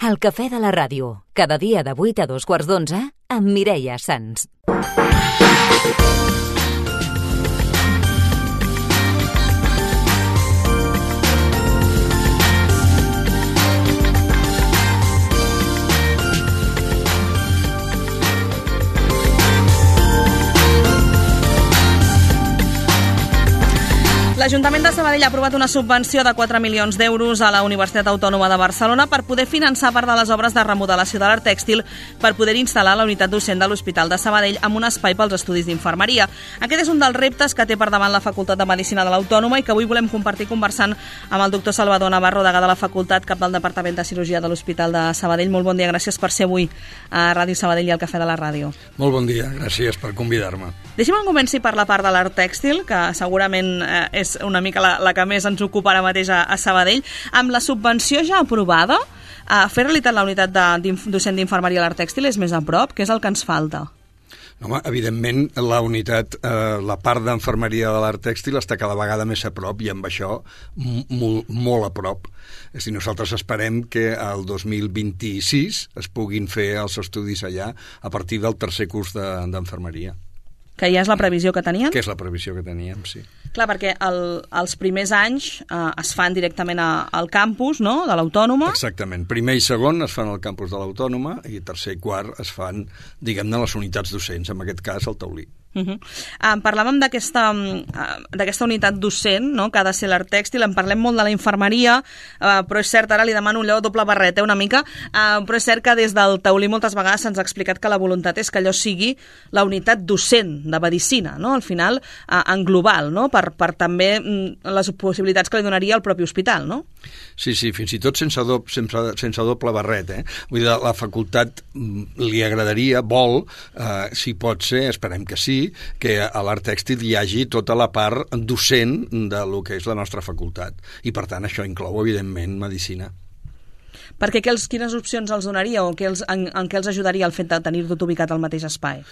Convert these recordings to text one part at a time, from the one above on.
El cafè de la ràdio, cada dia de 8 a 2:15 amb Mireia Sans. L'Ajuntament de Sabadell ha aprovat una subvenció de 4 milions d'euros a la Universitat Autònoma de Barcelona per poder finançar part de les obres de remodelació de l'art tèxtil per poder instal·lar la unitat docent de l'Hospital de Sabadell amb un espai pels estudis d'infermeria. Aquest és un dels reptes que té per davant la Facultat de Medicina de l'Autònoma i que avui volem compartir conversant amb el doctor Salvador Navarro, degà de la Facultat, cap del Departament de Cirurgia de l'Hospital de Sabadell. Molt bon dia, gràcies per ser avui a Ràdio Sabadell i al Cafè de la Ràdio. Molt bon dia, gràcies per convidar-me. Deixi'm començar per la part de l'art tèxtil, que segurament és una mica la que més ens ocupa ara mateix a Sabadell. Amb la subvenció ja aprovada, fer realitat la unitat docent d'infermeria a l'art tèxtil és més a prop? Què és el que ens falta? Home, evidentment, la unitat, la part d'infermeria de l'art tèxtil està cada vegada més a prop i amb això molt a prop. És a dir, nosaltres esperem que el 2026 es puguin fer els estudis allà a partir del tercer curs d'enfermeria. Que ja és la previsió que tenien? Que és la previsió que teníem, sí. Clar, perquè els primers anys es fan directament al campus, no?, de l'Autònoma. Exactament. Primer i segon es fan al campus de l'Autònoma i tercer i quart es fan, diguem-ne, les unitats docents, en aquest cas al Taulí. Parlàvem d'aquesta unitat docent, no?, que ha de ser l'art tèxtil. En parlem molt de la infermeria, però és cert, ara li demano allò doble barret, una mica, però és cert que des del Taulí moltes vegades se'ns ha explicat que la voluntat és que allò sigui la unitat docent de medicina, no?, al final, en global, no?, per també les possibilitats que li donaria al propi hospital, no? Sí, fins i tot sense doble barret, Vull dir, la facultat li agradaria, vol, si pot ser, esperem que sí, que a l'art tèxtil hi hagi tota la part docent de lo que és la nostra facultat. I, per tant, això inclou, evidentment, medicina. Perquè quines opcions els donaria o en què els ajudaria el fet de tenir tot ubicat al mateix espai?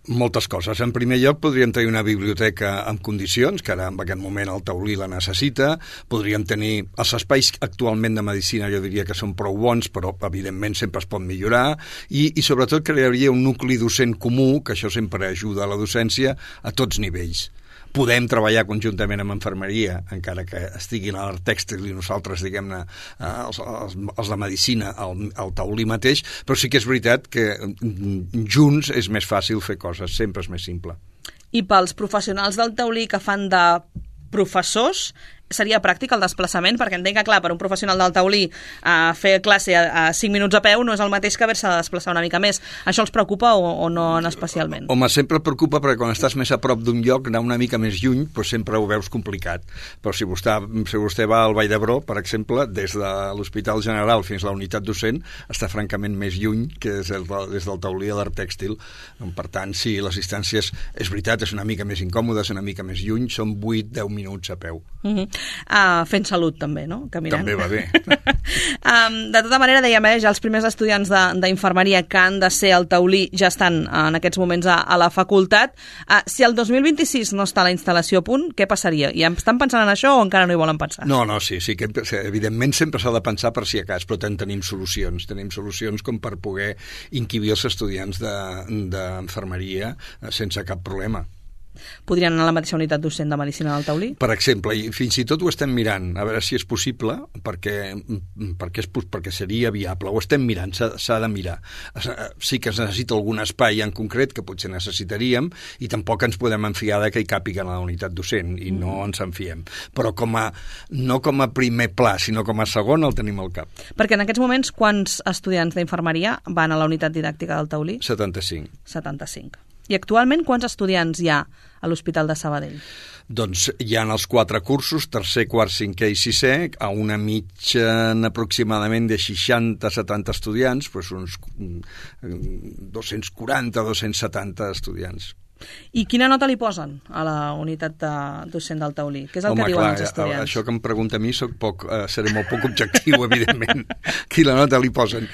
Moltes coses. En primer lloc, podríem tenir una biblioteca en condicions, que ara en aquest moment el Taulí la necessita. Podríem tenir els espais actualment de medicina, jo diria que són prou bons, però evidentment sempre es pot millorar, i sobretot crearia un nucli docent comú, que això sempre ajuda a la docència a tots nivells. Podem treballar conjuntament amb infermeria, encara que estiguin a l'art tèxtil i nosaltres, diguem-ne, els de medicina, al Taulí mateix, però sí que és veritat que junts és més fàcil fer coses, sempre és més simple. I pels professionals del Taulí que fan de professors, seria pràctic el desplaçament? Perquè entenc que, clar, per un professional del Taulí fer classe a 5 minuts a peu no és el mateix que haver-se de desplaçar una mica més. Això els preocupa o no especialment? Home, sempre et preocupa perquè quan estàs més a prop d'un lloc, anar una mica més lluny, doncs sempre ho veus complicat. Però si vostè va al Vall d'Hebron, per exemple, des de l'Hospital General fins a la unitat docent, està francament més lluny que des del Taulí a l'art tèxtil. Per tant, sí, les distàncies, és veritat, és una mica més incòmodes, una mica més lluny, són 8-10 minuts a peu. Fent salut també, no? Caminant. També va bé. De tota manera, dèiem, ja els primers estudiants d'infermeria que han de ser al Taulí ja estan en aquests moments a la facultat. Si el 2026 no està la instal·lació a punt, què passaria? I estan pensant en això o encara no hi volen pensar? No, sí, que evidentment sempre s'ha de pensar per si a cas, però tenim solucions. Tenim solucions com per poder inquibir els estudiants d'infermeria sense cap problema. Podrien anar a la mateixa unitat docent de Medicina del Taulí? Per exemple, i fins i tot ho estem mirant, a veure si és possible, perquè seria viable. Ho estem mirant, s'ha de mirar. Sí que es necessita algun espai en concret que potser necessitaríem i tampoc ens podem enfiar que hi càpiguen a la unitat docent i no ens en fiem. Però no com a primer pla, sinó com a segon el tenim al cap. Perquè en aquests moments quants estudiants d'infermeria van a la unitat didàctica del Taulí? 75. I actualment quants estudiants hi ha a l'Hospital de Sabadell? Doncs hi ha els 4 cursos, tercer, quart, cinquè i sisè, a una mitjana aproximadament de 60-70 estudiants, doncs uns 240-270 estudiants. I quina nota li posen a la unitat docent del Taulí? Què és el que diuen els estudiants? Això que em pregunta a mi seré molt poc objectiu, evidentment. Quina nota li posen?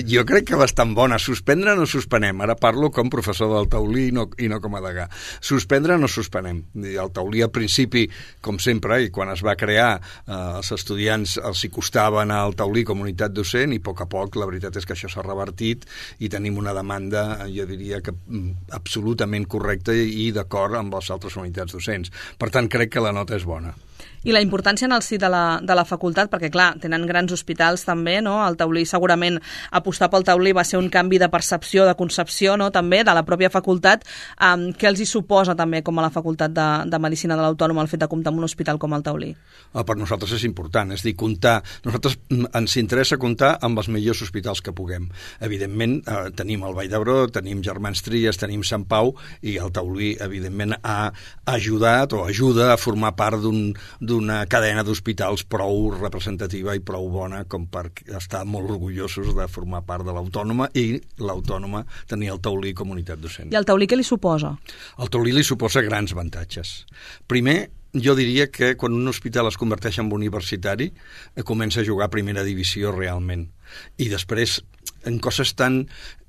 Jo crec que bastant bona. Suspendre no suspenem. Ara parlo com professor del Taulí i no com a degà. Suspendre no suspenem. El Taulí al principi, com sempre, i quan es va crear, els estudiants els hi costava anar al Taulí com a unitat docent i a poc la veritat és que això s'ha revertit i tenim una demanda, jo diria que absolutament correcta i d'acord amb les altres unitats docents. Per tant, crec que la nota és bona. I la importància en el si de la facultat, perquè clar, tenen grans hospitals també, no? El Taulí segurament, apostar pel Taulí va ser un canvi de percepció, de concepció, no? També de la pròpia facultat. Què els hi suposa també com a la facultat de Medicina de l'Autònoma el fet de comptar amb un hospital com el Taulí? Per nosaltres és important, és a dir, nosaltres ens interessa comptar amb els millors hospitals que puguem. Evidentment, tenim el Vall d'Hebron, tenim Germans Trias, tenim Sant Pau, i el Taulí, evidentment, ha ajudat o ajuda a formar part d'una cadena d'hospitals prou representativa i prou bona com per estar molt orgullosos de formar part de l'Autònoma i l'Autònoma tenir el Taulí com a unitat docent. I el Taulí què li suposa? El Taulí li suposa grans avantatges. Primer, jo diria que quan un hospital es converteix en universitari comença a jugar a primera divisió realment. I després, en coses tan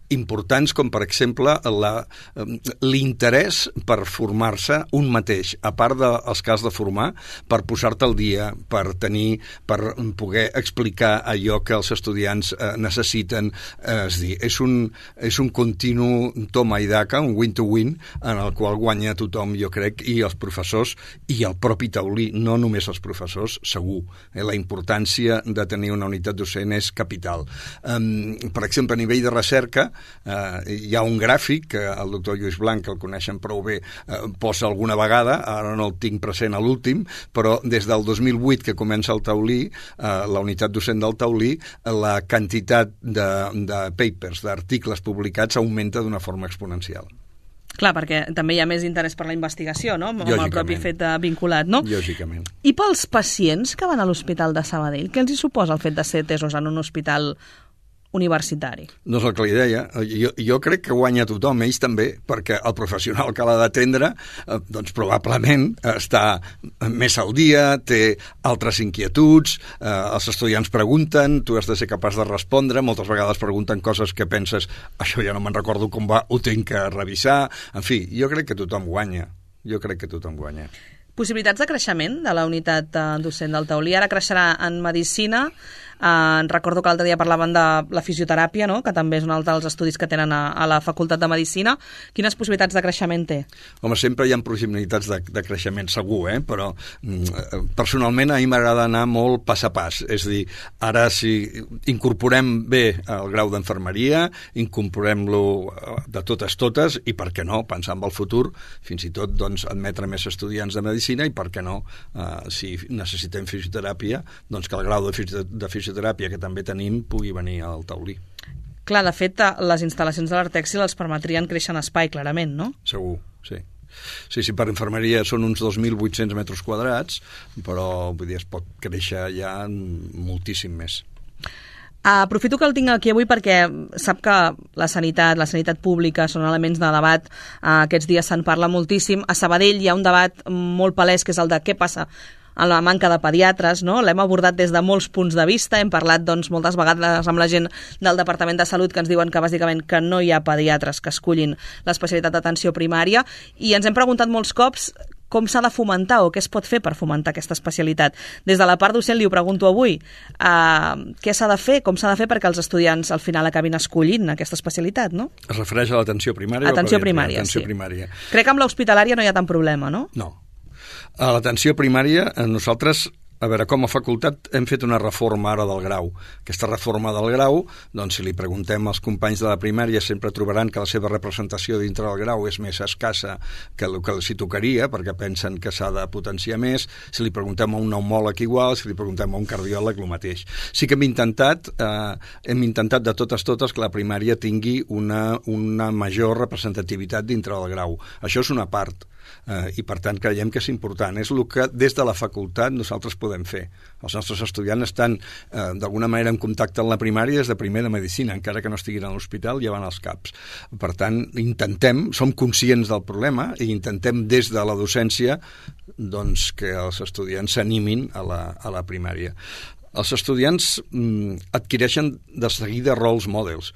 importants com, per exemple, l'interès per formar-se un mateix, a part dels que has de formar, per posar-te al dia, per poder explicar allò que els estudiants necessiten. És dir, és un continu toma i daca, un win-to-win, en el qual guanya tothom, jo crec, i els professors i el propi Taulí, no només els professors, segur. La importància de tenir una unitat docent és capital. Per exemple, a nivell de recerca, hi ha un gràfic que el doctor Lluís Blanc, que el coneixen prou bé, posa alguna vegada, ara no el tinc present a l'últim, però des del 2008 que comença el Taulí, la unitat docent del Taulí, la quantitat de papers, d'articles publicats augmenta d'una forma exponencial. Clar, perquè també hi ha més interès per la investigació, no? Amb el propi fet vinculat, no? Lògicament. I pels pacients que van a l'Hospital de Sabadell, què els hi suposa el fet de ser atesos en un hospital universitari? No és el que li deia. Jo crec que guanya tothom, ells també, perquè el professional que l'ha d'atendre doncs probablement està més al dia, té altres inquietuds, els estudiants pregunten, tu has de ser capaç de respondre, moltes vegades pregunten coses que penses, això ja no me'n recordo com va, ho tinc que revisar. En fi, jo crec que tothom guanya. Possibilitats de creixement de la unitat docent del Taulí. Ara creixerà en Medicina. Recordo que l'altre dia parlaven de la fisioteràpia, no? Que també és un altre dels estudis que tenen a la Facultat de Medicina. Quines possibilitats de creixement té? Home, sempre hi ha possibilitats de creixement, segur, però personalment a mi m'agrada anar molt pas a pas. És a dir, ara si incorporem bé el grau d'enfermeria, incorporem-lo de totes, i per què no, pensar en el futur, fins i tot doncs, admetre més estudiants de Medicina, i per què no, si necessitem fisioteràpia, doncs que el grau de fisioteràpia que també tenim pugui venir al Taulí. Clar, de fet, les instal·lacions de l'Artèxtil els permetrien créixer en espai, clarament, no? Segur, sí. Sí, per infermeria són uns 2.800 metres quadrats, però vull dir, es pot créixer ja moltíssim més. Aprofito que el tinc aquí avui perquè sap que la sanitat pública són elements de debat. Aquests dies se'n parla moltíssim. A Sabadell hi ha un debat molt palès que és el de què passa amb la manca de pediatres, no? L'hem abordat des de molts punts de vista, hem parlat doncs, moltes vegades amb la gent del Departament de Salut que ens diuen que bàsicament que no hi ha pediatres que escullin l'especialitat d'atenció primària, i ens hem preguntat molts cops com s'ha de fomentar o què es pot fer per fomentar aquesta especialitat. Des de la part docent li ho pregunto avui, què s'ha de fer, com s'ha de fer perquè els estudiants al final acabin escollint aquesta especialitat, no? Es refereix a l'atenció primària? Atenció primària, sí. Crec que amb l'hospitalària no hi ha tant problema, no? No. A l'atenció primària, nosaltres, a veure, com a facultat hem fet una reforma ara del grau. Aquesta reforma del grau, doncs si li preguntem als companys de la primària sempre trobaran que la seva representació dintre del grau és més escassa que el que els hi tocaria, perquè pensen que s'ha de potenciar més. Si li preguntem a un pneumòleg igual, si li preguntem a un cardiòleg el mateix. Sí que hem intentat de totes que la primària tingui una major representativitat dintre del grau. Això és una part. i per tant creiem que és important. És el que des de la facultat nosaltres podem fer. Els nostres estudiants estan d'alguna manera en contacte amb la primària des de primer de medicina, encara que no estiguin a l'hospital, ja van als CAPs. Per tant, som conscients del problema i intentem des de la docència doncs, que els estudiants s'animin a la primària. Els estudiants adquireixen de seguida roles models.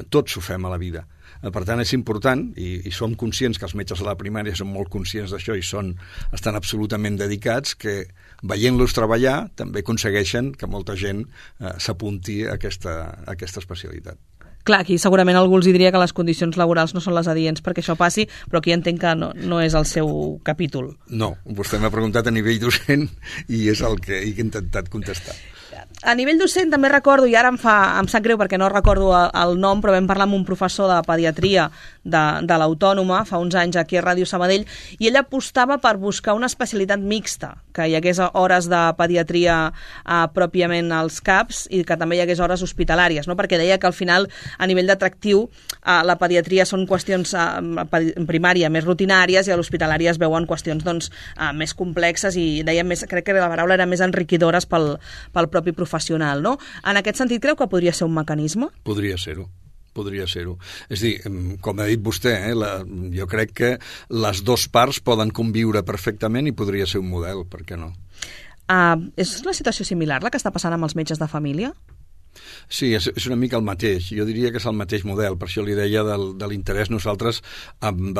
Tots ho fem a la vida. Per tant, és important, i som conscients que els metges de la primària són molt conscients d'això i estan absolutament dedicats, que veient-los treballar també aconsegueixen que molta gent s'apunti a aquesta especialitat. Clar, aquí segurament algú els diria que les condicions laborals no són les adients perquè això passi, però aquí entenc que no és el seu capítol. No, vostè m'ha preguntat a nivell docent i és el que he intentat contestar. A nivell docent també recordo, i ara em sap greu perquè no recordo el nom, però vam parlar amb un professor de pediatria de l'Autònoma fa uns anys aquí a Ràdio Sabadell, i ell apostava per buscar una especialitat mixta, que hi hagués hores de pediatria pròpiament als CAPs i que també hi hagués hores hospitalàries, no? Perquè deia que al final, a nivell d'atractiu, la pediatria són qüestions en primària més rutinàries i a l'hospitalària es veuen qüestions doncs, més complexes i deia crec que la paraula era més enriquidores pel propi professional, no? En aquest sentit, creu que podria ser un mecanisme? Podria ser-ho. És a dir, com ha dit vostè, jo crec que les dues parts poden conviure perfectament i podria ser un model, per què no? És una situació similar la que està passant amb els metges de família? Sí, és una mica el mateix. Jo diria que és el mateix model. Per això li deia de l'interès nosaltres amb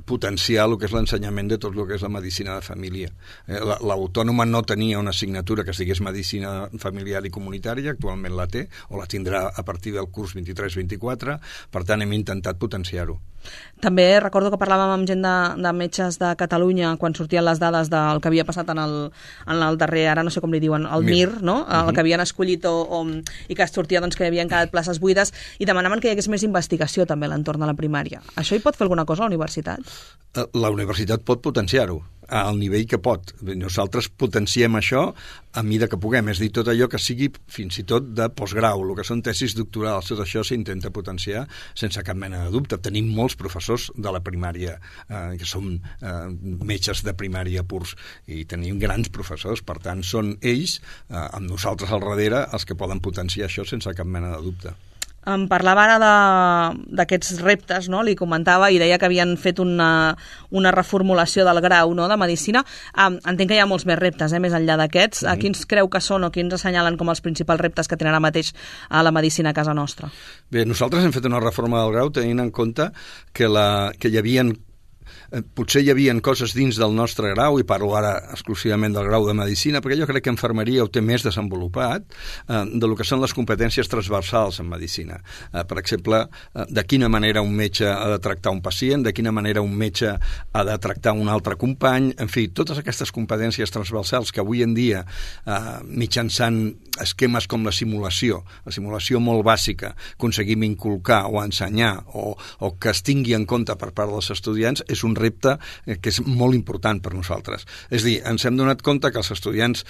potenciar el que és l'ensenyament de tot el que és la medicina de família. L'Autònoma no tenia una assignatura que es digués medicina familiar i comunitària, actualment la té, o la tindrà a partir del curs 23-24, per tant hem intentat potenciar-ho. També recordo que parlàvem amb gent de metges de Catalunya quan sortien les dades del que havia passat en el darrer, ara no sé com li diuen, el MIR, no? El que havien escollit i que es sortia doncs, que hi havia quedat places buides i demanaven que hi hagués més investigació també a l'entorn de la primària. Això hi pot fer alguna cosa a la universitat? La universitat pot potenciar-ho al nivell que pot. Nosaltres potenciem això a mida que puguem, és a dir, tot allò que sigui fins i tot de postgrau, el que són tesis doctorals, tot això s'intenta potenciar sense cap mena de dubte. Tenim molts professors de la primària que són metges de primària purs i tenim grans professors, per tant són ells, amb nosaltres al darrere, els que poden potenciar això sense cap mena de dubte. Em parlava ara d'aquests reptes, no? Li comentava i deia que havien fet una reformulació del grau, no? De Medicina. Entenc que hi ha molts més reptes, més enllà d'aquests. Quins creu que són o quins assenyalen com els principals reptes que tenen ara mateix a la medicina a casa nostra? Bé, nosaltres hem fet una reforma del grau tenint en compte que hi havia potser hi havia coses dins del nostre grau, i parlo ara exclusivament del grau de Medicina, perquè jo crec que Infermeria ho té més desenvolupat de lo que són les competències transversals en Medicina. Per exemple, de quina manera un metge ha de tractar un pacient, de quina manera un metge ha de tractar un altre company, en fi, totes aquestes competències transversals que avui en dia, mitjançant esquemes com la simulació molt bàsica, aconseguim inculcar o ensenyar o que es tingui en compte per part dels estudiants, és un repte que és molt important per nosaltres. És a dir, ens hem donat compte que els estudiants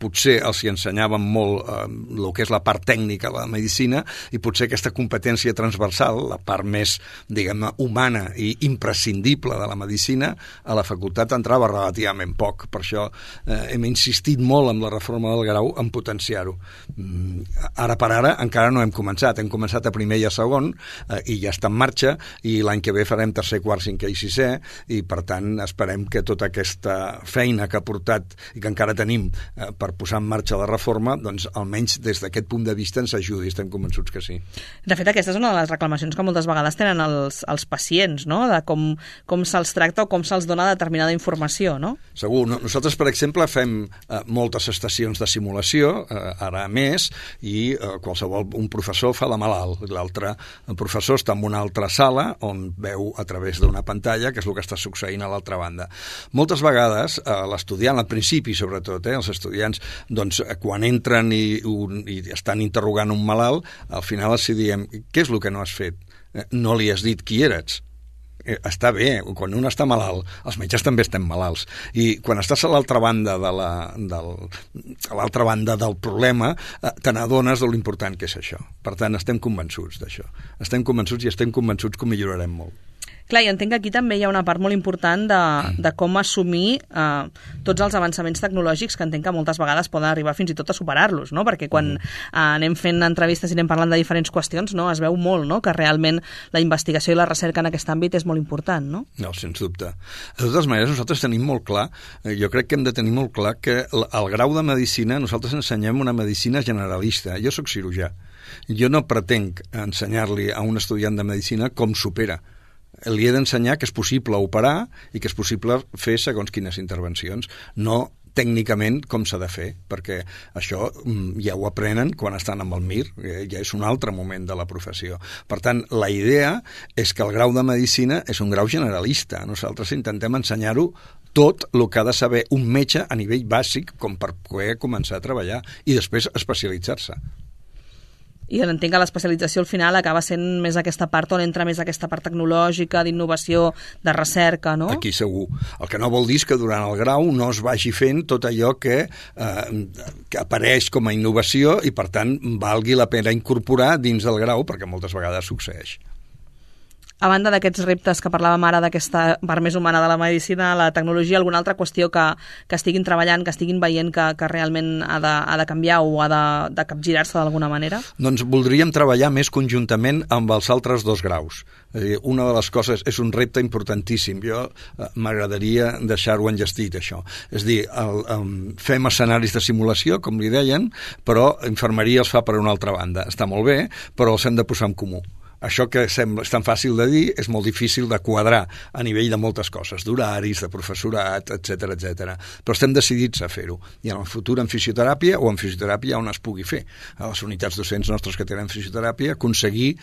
potser els hi ensenyaven molt el que és la part tècnica de la medicina i potser aquesta competència transversal, la part més, diguem-ne, humana i imprescindible de la medicina, a la facultat entrava relativament poc. Per això hem insistit molt en la reforma del grau en potenciar-ho. Ara per ara encara no hem començat a primer i a segon i ja està en marxa, i l'any que ve farem tercer, quart, cinquè i sisè, i per tant esperem que tota aquesta feina que ha portat i que encara tenim per posar en marxa la reforma, doncs almenys des d'aquest punt de vista ens ajudi, estem convençuts que sí. De fet, aquesta és una de les reclamacions que moltes vegades tenen els pacients, no? De com se'ls tracta o com se'ls dona determinada informació, no? Segur. Nosaltres, per exemple, fem moltes estacions de simulació, ara més, i un professor fa la malalt, l'altre professor està en una altra sala on veu a través d'una pantalla que és el que està succeint a l'altra banda. Moltes vegades l'estudiant, al principi sobretot, els estudiants, doncs, quan entren i estan interrogant un malalt, al final els diem, què és el que no has fet? No li has dit qui eres. Està bé, quan un està malalt, els metges també estem malalts, i quan estàs a l'altra banda del problema te n'adones de l'important que és això. Per tant, estem convençuts d'això. Estem convençuts i estem convençuts que ho millorarem molt. Clar, i entenc que aquí també hi ha una part molt important de com assumir tots els avançaments tecnològics que entenc que moltes vegades poden arribar fins i tot a superar-los, no? Perquè quan anem fent entrevistes i anem parlant de diferents qüestions, no? Es veu molt, no? Que realment la investigació i la recerca en aquest àmbit és molt important, no? No, sens dubte. De totes maneres, nosaltres tenim molt clar, jo crec que hem de tenir molt clar que al grau de medicina nosaltres ensenyem una medicina generalista. Jo sóc cirurgià. Jo no pretenc ensenyar-li a un estudiant de medicina com s'opera. Li he d'ensenyar que és possible operar i que és possible fer segons quines intervencions, no tècnicament com s'ha de fer, perquè això ja ho aprenen quan estan amb el MIR, ja és un altre moment de la professió. Per tant, la idea és que el grau de medicina és un grau generalista. Nosaltres intentem ensenyar-ho tot el que ha de saber un metge a nivell bàsic com per poder començar a treballar i després especialitzar-se. I entenc que l'especialització al final acaba sent més aquesta part on entra més aquesta part tecnològica, d'innovació, de recerca, no? Aquí segur. El que no vol dir és que durant el grau no es vagi fent tot allò que apareix com a innovació i, per tant, valgui la pena incorporar dins del grau, perquè moltes vegades succeeix. A banda d'aquests reptes que parlàvem ara d'aquesta part més humana de la medicina, la tecnologia, alguna altra qüestió que estiguin treballant, que estiguin veient que realment ha de canviar o ha de capgirar-se d'alguna manera? Doncs voldríem treballar més conjuntament amb els altres dos graus. És a dir, una de les coses és un repte importantíssim. Jo m'agradaria deixar-ho enllestit, això. És a dir, fem escenaris de simulació, com li deien, però infermeria els fa per una altra banda. Està molt bé, però els hem de posar en comú. Això que sembla tan fàcil de dir és molt difícil de quadrar a nivell de moltes coses, d'horaris, de professorat, etc etc. Però estem decidits a fer-ho. I en el futur en fisioteràpia o en fisioteràpia on es pugui fer. A les unitats docents nostres que tenen fisioteràpia, aconseguir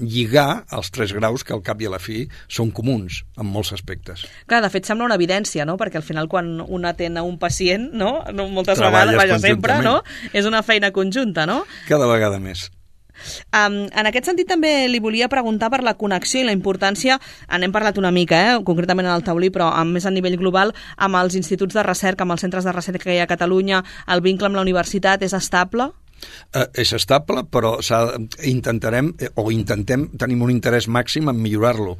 lligar els 3 graus que al cap i a la fi són comuns en molts aspectes. Clar, de fet sembla una evidència, no? Perquè al final quan un atén a un pacient, no? Moltes vegades, vaja, sempre, no? És una feina conjunta, no? Cada vegada més. En aquest sentit també li volia preguntar per la connexió i la importància, n'hem parlat una mica, concretament en el taulí, però més a nivell global, amb els instituts de recerca, amb els centres de recerca que hi ha a Catalunya, el vincle amb la universitat és estable? És estable, però intentem, tenim un interès màxim en millorar-lo.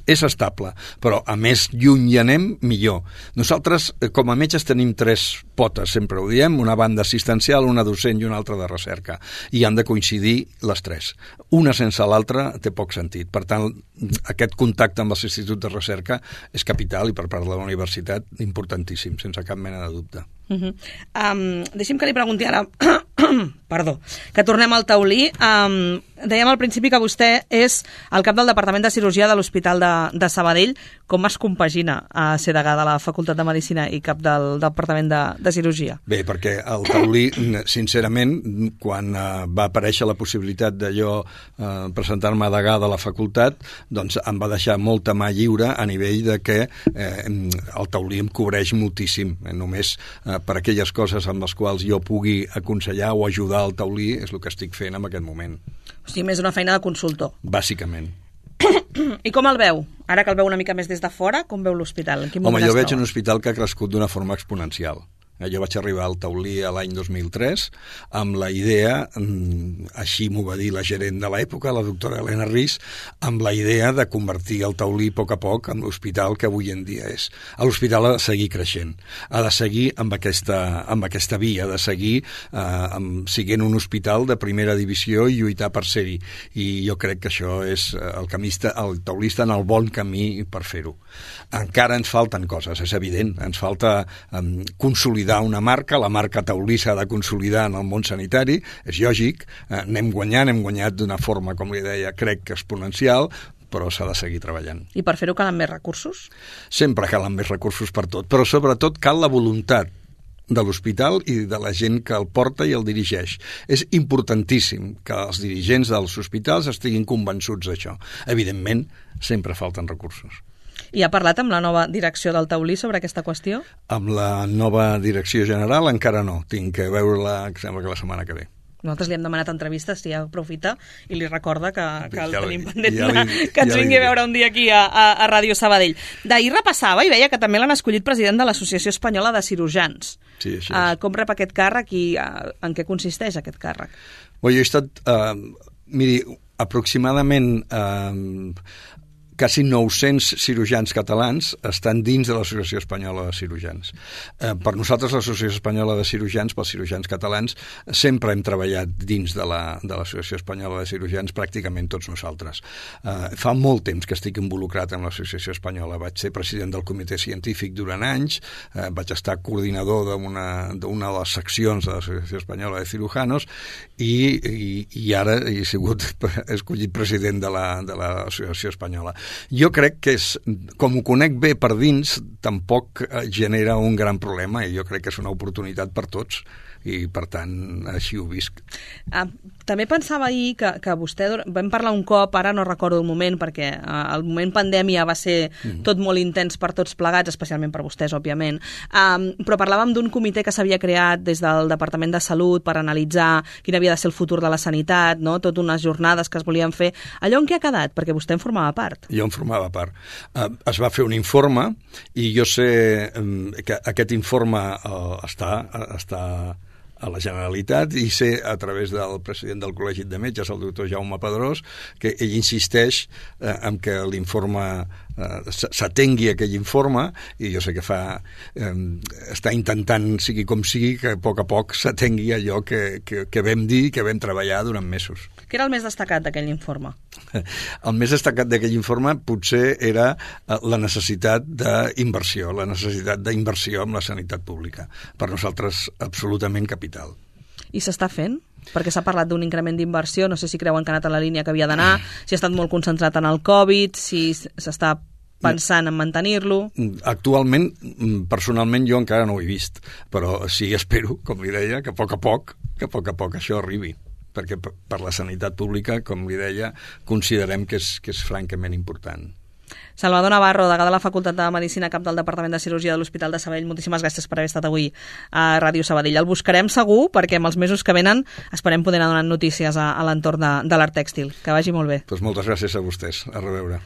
És estable, però a més lluny hi anem, millor. Nosaltres, com a metges, tenim 3 potes, sempre ho diem, una banda assistencial, una docent i una altra de recerca, i han de coincidir les 3. Una sense l'altra té poc sentit. Per tant, aquest contacte amb els instituts de recerca és capital i per part de la universitat importantíssim, sense cap mena de dubte. Deixi'm que li pregunti ara perdó, que tornem al taulí. Dèiem al principi que vostè és el cap del Departament de Cirurgia de l'Hospital de Sabadell. Com es compagina a ser degà de la Facultat de Medicina i cap del Departament de Cirurgia? Bé, perquè el taulí, sincerament, quan va aparèixer la possibilitat de jo presentar-me a degà de la facultat, doncs em va deixar molta mà lliure a nivell de que el taulí em cobreix moltíssim. Només per aquelles coses amb les quals jo pugui aconsellar o ajudar al taulí és el que estic fent en aquest moment. O sigui, més una feina de consultor. Bàsicament. I com el veu? Ara que el veu una mica més des de fora, com veu l'hospital? Home, jo veig un hospital que ha crescut d'una forma exponencial. Jo vaig arribar al taulí l'any 2003 amb la idea, així m'ho va dir la gerent de l'època, la doctora Helena Riz, amb la idea de convertir el taulí a poc en l'hospital que avui en dia és. L'hospital ha de seguir creixent, ha de seguir amb aquesta via, ha de seguir siguent un hospital de primera divisió i lluitar per ser-hi. I jo crec que això és el taulí està en el bon camí per fer-ho. Encara ens falten coses, és evident, ens falta consolidar una marca, la marca taulí s'ha de consolidar en el món sanitari, és lògic, anem guanyat d'una forma, com li deia, crec que exponencial, però s'ha de seguir treballant. I per fer-ho calen més recursos? Sempre calen més recursos per tot, però sobretot cal la voluntat de l'hospital i de la gent que el porta i el dirigeix. És importantíssim que els dirigents dels hospitals estiguin convençuts d'això. Evidentment, sempre falten recursos. I ha parlat amb la nova direcció del taulí sobre aquesta qüestió? Amb la nova direcció general encara no. Tinc que veure-la, sembla que la setmana que ve. Nosaltres li hem demanat entrevistes, si ja aprofita, i li recorda que el tenim pendent que ens vingui a veure un dia aquí a Ràdio Sabadell. D'ahir repassava i veia que també l'han escollit president de l'Associació Espanyola de Cirurgians. Sí, així és. Com rep aquest càrrec i en què consisteix aquest càrrec? Jo he estat, miri, aproximadament quasi 900 cirurgians catalans estan dins de l'Associació Espanyola de Cirurgians. Per nosaltres, l'Associació Espanyola de Cirurgians, pels cirurgians catalans, sempre hem treballat dins de l'Associació Espanyola de Cirurgians, pràcticament tots nosaltres. Fa molt temps que estic involucrat en l'Associació Espanyola. Vaig ser president del comitè científic durant anys, vaig estar coordinador d'una de les seccions de l'Associació Espanyola de Cirujanos i ara he sigut escollit president de l'Associació Espanyola. Jo crec que com ho conec bé per dins, tampoc genera un gran problema i jo crec que és una oportunitat per tots i per tant així ho visc. També pensava ahir que vostè, vam parlar un cop, ara no recordo el moment perquè el moment pandèmia va ser tot molt intens per tots plegats, especialment per vostès, òbviament, però parlàvem d'un comitè que s'havia creat des del Departament de Salut per analitzar quin havia de ser el futur de la sanitat, no? Tot unes jornades que es volien fer. Allò en què ha quedat? Perquè vostè en formava part. Jo en formava part. Es va fer un informe i jo sé que aquest informe està a la Generalitat i sé a través del president del Col·legi de Metges, el doctor Jaume Pedrós, que ell insisteix en que l'informe s'atengui aquell informe i jo sé que està intentant, sigui com sigui, que a poc s'atengui allò que vam dir i que vam treballar durant mesos. Què era el més destacat d'aquell informe? El més destacat d'aquell informe potser era la necessitat d'inversió en la sanitat pública. Per nosaltres, absolutament capital. I s'està fent? Perquè s'ha parlat d'un increment d'inversió, no sé si creuen que ha anat a la línia que havia d'anar, si ha estat molt concentrat en el Covid, si s'està pensant en mantenir-lo. Actualment, personalment, jo encara no ho he vist, però sí espero, com li deia, que a poc a poc això arribi, perquè per la sanitat pública, com li deia, considerem que és francament important. Salvador Navarro, degà de la Facultat de Medicina, cap del Departament de Cirurgia de l'Hospital de Sabadell, moltíssimes gràcies per haver estat avui a Ràdio Sabadell. El buscarem segur perquè en els mesos que venen esperem poder anar donant notícies a l'entorn de l'art tèxtil. Que vagi molt bé. Doncs moltes gràcies a vostès. A reveure.